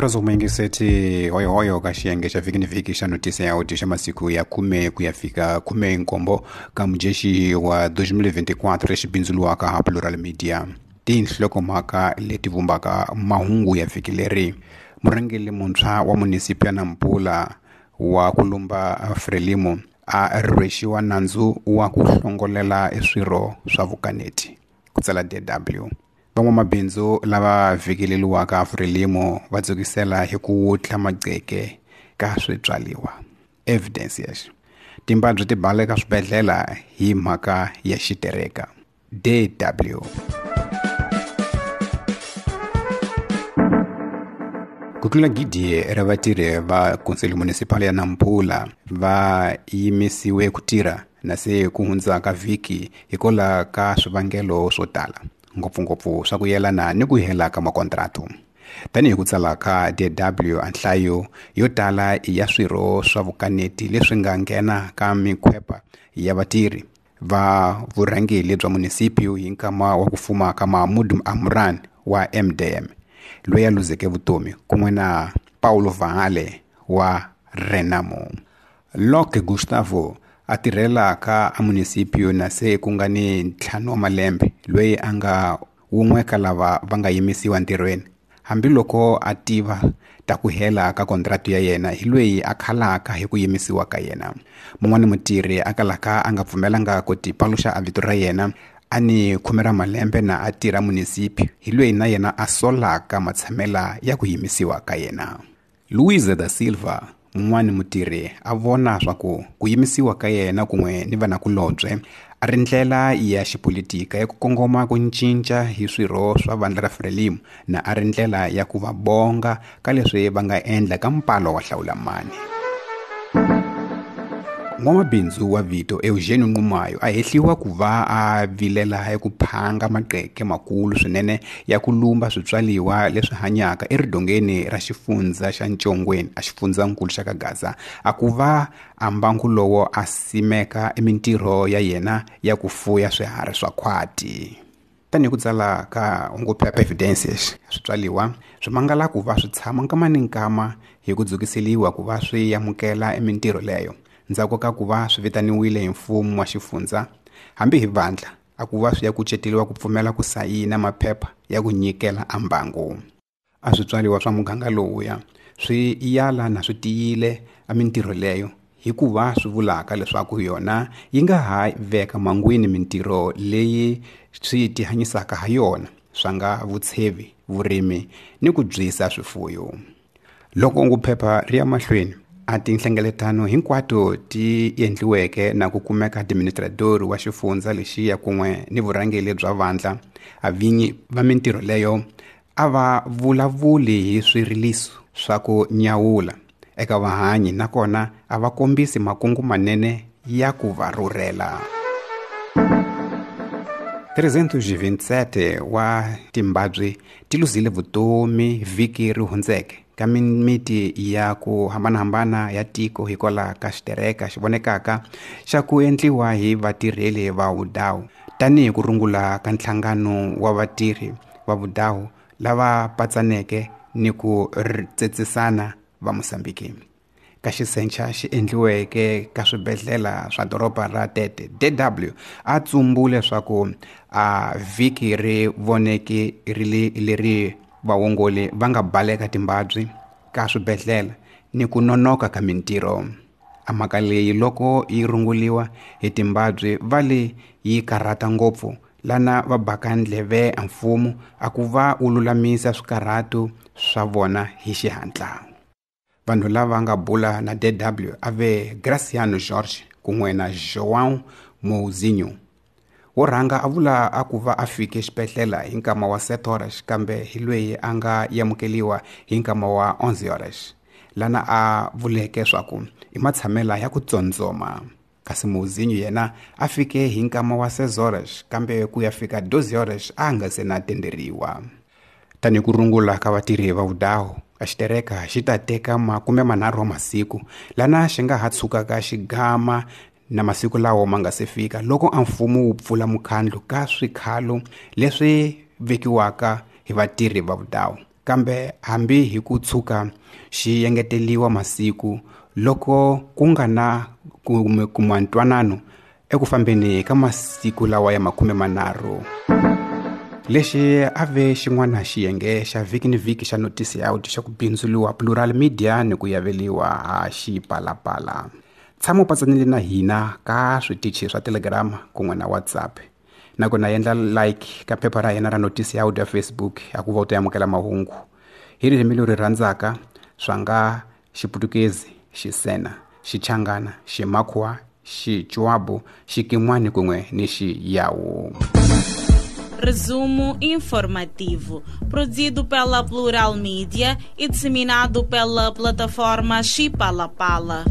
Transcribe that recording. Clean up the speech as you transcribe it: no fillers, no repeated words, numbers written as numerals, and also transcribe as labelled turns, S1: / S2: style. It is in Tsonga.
S1: Murazo muyingiseti hoyohoyo ka xiyenge xa vhiki ni vhiki xa notisi ya audio xa masiku ya 10 ku ya fika 17 ka mujexi wa 2024 lexi bindzuriwaka ha Plural Media. Tinhlokomhaka leti vumbaka mahungu ya vhiki leri: murhangeri muntshwa wa munisipi ya Nampula wa ku lumba Frelimo a rhwexiwa nandzu wa ku hlongolela swirho swa vukaneti, ku tsala DW. Van'wamabindzu lava vhikeleriwaka Frelimo va dzukisela hi ku wutla maqheke ka switswariwa. Evidence yes. Timbabyi ti baleka swibedhlele hi mhaka ya xitereka. DW. Ku tlula 1,000 ra vatirhi va Conselho Municipal ya Nampula va yimisiwe ku tirha na se ku hundzaka vhiki hikwalaho ka swivangelo swo tala, ngopfungopfu swa ku yelana ni ku hela ka makontratu. Tanihi ku tsala ka DW, a nhlayo yo tala ya swirho swa vukaneti leswi nga nghena ka mikhwepa ya vatirhi va vurhangeri bya munisipio hi nkama wa ku fuma ka Mahmoud Amuran wa MDM, loyi a luzeke vutomi, kun'we na Paulo Vale wa Renamo. Locke Gustavo a tirhela ka munisipio na se ku nga ni 5 wa malembe, loyi a nga wun'we ka lava va nga yimisiwa ntirhweni. Hambiloko a tiva ta ku hela ka kontratu ya yena, hi loyi a khalaka hi ku yimisiwa ka yena. Mun'wani mutirhi a kalaka a nga pfumelanga ku tipaluxa a vito ra yena, a ni 10 ra malembe na a tirha munisipi, hi loyi na yena a solaka matshamela ya ku yimisiwa ka yena. Luisa da Silva, mun'wani mutirhi, a vona swa ku ku yimisiwa ka yena kun'we ni vanakulobye a ri ndlela ya xipolitika ya ku kongoma ku cinca hi swirho swa vandla ra Frelimo, na a ri ndlela ya ku va bonga ka leswi va nga endla ka mpalo wa hlawulamani. N'wamabindzu wa vito Eugenio Nxumalo a hehliwa ku va a vilela hi ku phanga maqheke makulu swinene ya ku lumba switswariwa leswi hanyaka eridongeni ra xifundza xa Ntshongweni a xifundzankulu xa Kagaza, a ku va a mbangu lowo a simeka emintirho ya yena ya ku fuya swiharhi swa khwati. Tanihi ku tsala ka hunguphepha Evidences, switswariwa swi mangala ku va swi tshama nkama ni nkama hi ku dzukiseliwa ku va swi amukela emintirho leyo, ndzhaku ka ku va swi vitaniwile hi mfumo wa xifundza hambi hi vandla, a ku va swi ya kuceteriwa ku pfumela ku sayina maphepha ya ku nyikela a mbangu. A switswariwa swa muganga lowuya swi yala na swi tiyile a mintirho leyo, hikuva swi vulaka leswaku yona yi nga ha veka mangwini mintirho leyi swi tihanyisaka ha yona, swa nga vutshevi, vurimi ni ku byisa swifuyo. Loko nguphepha ri ya mahlweni, a tinhlengeletano hinkwato ti endliweke na ku kumeka administrador wa xifundza lexiya kun'we ni vurhangeri bya vandla, a vinyi va mintirho leyo a va vulavuli hi swiriliso swa ku nyawula eka vahanyi, nakona a va kombisi makungu manene ya ku va rhurhela. 327 wa timbabyi ti luzile vutomi vhiki ri hundzeke ka mimiti ya ku hambanahambana ya tiko hikwalaho ka xitereka xi vonekaka xa ku endliwa hi vatirheli va vudawu, tanihi ku rungula ka nhlangano wa vatirhi va vudawu lava patsaneke ni ku tsetsisana va Mozambique. Ka xisencha xi endliweke ka swibedhlele swa doroba ra Tete, DW a tsumbule leswaku a vhiki ri voneke ri leri vaongori va nga baleka timbabyi ka swibedhlele ni ku nonoka ka mintirho. A mhaka leyi loko yi runguliwa hi timbabyi va le yi karhata ngopfu, lana va baka ndleve a mfumo a ku va wu lulamisa swikarhato swa vona hi xihatla. Vanhu lava nga bula na DW a ve Graciano Jorge kun'we na João Mouzinho. Wo rhanga a vula a ku va a fike xibedhlele hi nkama wa 7 horas, kambe hi loyi a nga amukeliwa hi nkama wa 11 horas, lana a vuleke swaku i matshamela ya ku tsondzoma. Kasi Mouzinho yena a fike hi nkama wa 6 horas, kambe ku ya fika 12 horas a nga se na tenderiwa. Tanihi ku rungula ka vatirhi va vudawu, a xitereka xi ta teka 30 wa masiku, lana xi nga ha tshukaka xigama na masiku lawo ma nga se fika loko a mfumo wu pfula mukhandlu ka swikhalo leswi vekiwaka hi vatirhi va vudawu. Kambe hambi hi ku tshuka xi engeteliwa masiku loko ku nga na kuma ntwanano eku fambeni ka masiku lawa ya 30. Lexi a ve xin'wana xiyenge xa vhiki ni vhiki xa Notice Out xa ku bindzuriwa Plural Media ni ku yaveliwa ha Xipalapala. Tshama u patsanile na hina ka switichi swa Telegram kun'we na WhatsApp. Nakona endla like ka phepha ra hina ra Notice Out ya Facebook a ku va u ta amukela mahungu hi ririmi leri rhandzaka swa nga Xiputukezi, Xisena, Xichangana, Ximakhuwa, Xichuabu, Xikin'wani kun'we ni Xiyawu.
S2: Resumo informativo, produzido pela Plural Mídia e disseminado pela plataforma Xipalapala.